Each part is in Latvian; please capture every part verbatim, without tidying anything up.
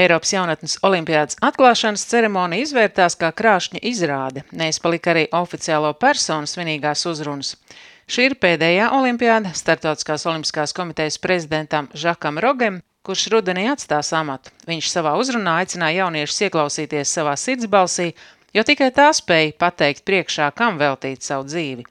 Eiropas jaunatnes olimpiādas atklāšanas ceremonija izvērtās kā krāšņa izrāde, neizpalika arī oficiālo personu svinīgās uzrunas. Šī ir pēdējā olimpiāda Startautiskās olimpiskās komitejas prezidentam Žakam Rogem, kurš rudenī atstās amatu. Viņš savā uzrunā aicināja jauniešus ieklausīties savā sirdsbalsī, jo tikai tā spēja pateikt priekšā, kam veltīt savu dzīvi.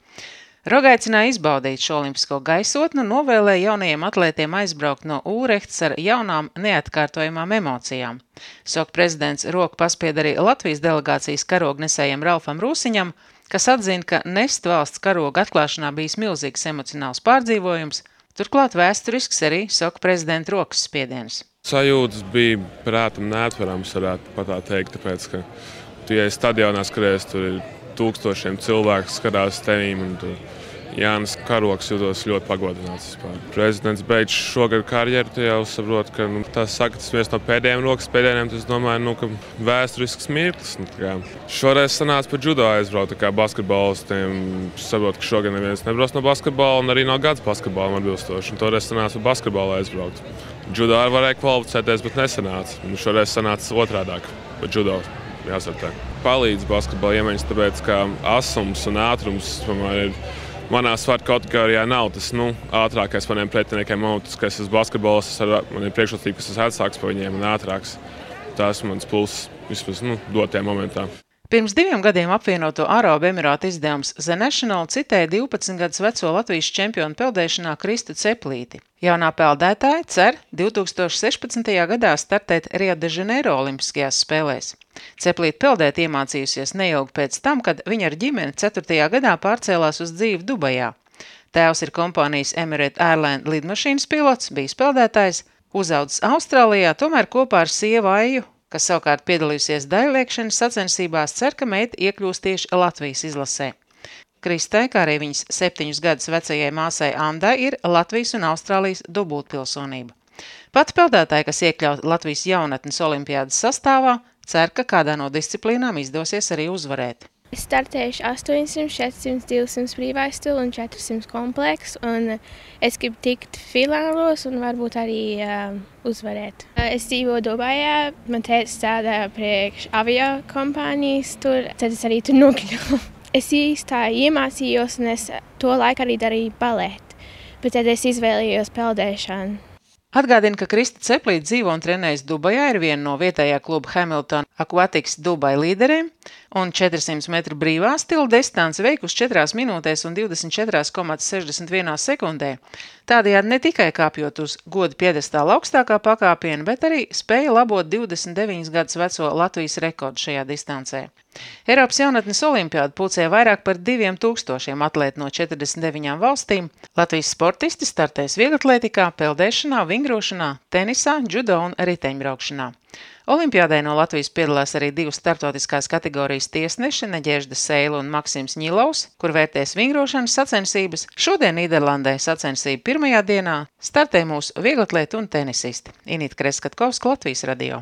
Roga aicināja izbaudīt šo olimpisko gaisotni un novēlēja jaunajiem atlētiem aizbraukt no Ūrehtas ar jaunām neatkārtojamām emocijām. Soka prezidents roku paspied arī Latvijas delegācijas karognesējam Ralfam Rūsiņam, kas atzina, ka nest valsts karoga atklāšanā bijis milzīgs emocionāls pārdzīvojums, turklāt vēsturisks arī Soka prezidenta rokas spiediens. Sajūtas bija prātam neatverams, varētu pat tā teikt, tāpēc, ka tu ej stadionā skaties, tur ir tūkstošiem cilvēku skatās tevīm, un tur Jānis Karogs jūtos ļoti pagodināts. Prezidents beidz šogad karjeru, tu jau saprot, ka nu, tas saka, tas viens no pēdējiem rokas pēdējiem, tas domāju, nu, ka vēsturisks mirklis. Nu, kā. Šoreiz sanāca par judo aizbraukt, kā basketbolistiem. Saprot, ka šogad neviens nebrauc no basketbola un arī no gads basketbolam atbilstoši. Un toreiz sanāca par basketbolu aizbraukt. Judo arī varēja kvalificēties, bet nesanāca. Un šoreiz sanāca otrādāk par judo. Jāsartē. Palīdz basketbola iemaņas, tāpēc, ka asums un ātrums tomēr ir manā svaru kategorijā nav tas nu, ātrākais maniem pretiniekiem. Tas, ka es esmu basketbols, man ir priekšrocība, ka es esmu atsāks pa viņiem un ātrāks. Tas mans pluss vismaz nu, dotajā momentā. Pirms diviem gadiem apvienoto Arābu Emirātu izdevums The National citēja divpadsmit gadus veco Latvijas čempionu peldēšanā Kristu Ceplīti. Jaunā peldētāja cer divi tūkstoši sešpadsmitajā gadā startēt Rio de Janeiro olimpiskajās spēlēs. Ceplīte peldēt iemācījusies neilgi pēc tam, kad viņa ar ģimeni ceturtajā gadā pārcēlās uz dzīvi Dubajā. Tēvs ir kompānijas Emirates Airline lidmašīnas pilots, bijis peldētājs, uzaudzis Austrālijā, tomēr kopā ar sievu Aiju, kas savukārt piedalījusies daļliekšanas sacensībās, cer, ka meita iekļūs tieši Latvijas izlasē. Kristai, kā arī viņas septiņus gadus vecajai māsai Andai, ir Latvijas un Austrālijas dubultpilsonība. Pati peldētāja, kas iekļaut Latvijas jaunatnes olimpiādas sastāvā, cer, ka kādā no disciplīnām izdosies arī uzvarēt. Es startējuši astoņsimt, četrsimt, divsimt brīvais stila un četrsimt kompleks, un es gribu tikt finālos un varbūt arī uh, uzvarēt. Es dzīvoju Dubajā, man tētis strādā priekš avio kompānijas tur, tad es arī tur nokļuvu. Es īstā iemācījos un es to laiku arī darīju baleti, bet tad es izvēlējos peldēšanu. Atgādina, ka Krista Ceplīte dzīvo un trenējas Dubajā, ir viena no vietējā kluba Hamilton Aquatics Dubai līderiem, un četrsimt metru brīvā stila distanci veikusi četrās minūtēs un divdesmit četras komats sešdesmit vienā sekundē. Tādējādi ne tikai kāpjot uz goda piedestāla augstākā pakāpiena, bet arī spēja labot divdesmit deviņus gadus veco Latvijas rekordu šajā distancē. Eiropas jaunatnes olimpiāda pulcēja vairāk par diviem tūkstošiem atlētu no četrdesmit deviņām valstīm. Latvijas sportisti startēs vieglatlētikā, peldēšanā, vingrošanā, tenisā, judo un riteņbraukšanā. Olimpiādē no Latvijas piedalās arī divas startautiskās kategorijas tiesneši Neģežda Seila un Maksims Ņilovs, kur vērtēs vingrošanas sacensības. Šodien Nīderlandē sacensību pirmajā dienā startē mūsu vieglatlēti un tenisisti. Inita Kreskatkovska, Latvijas radio.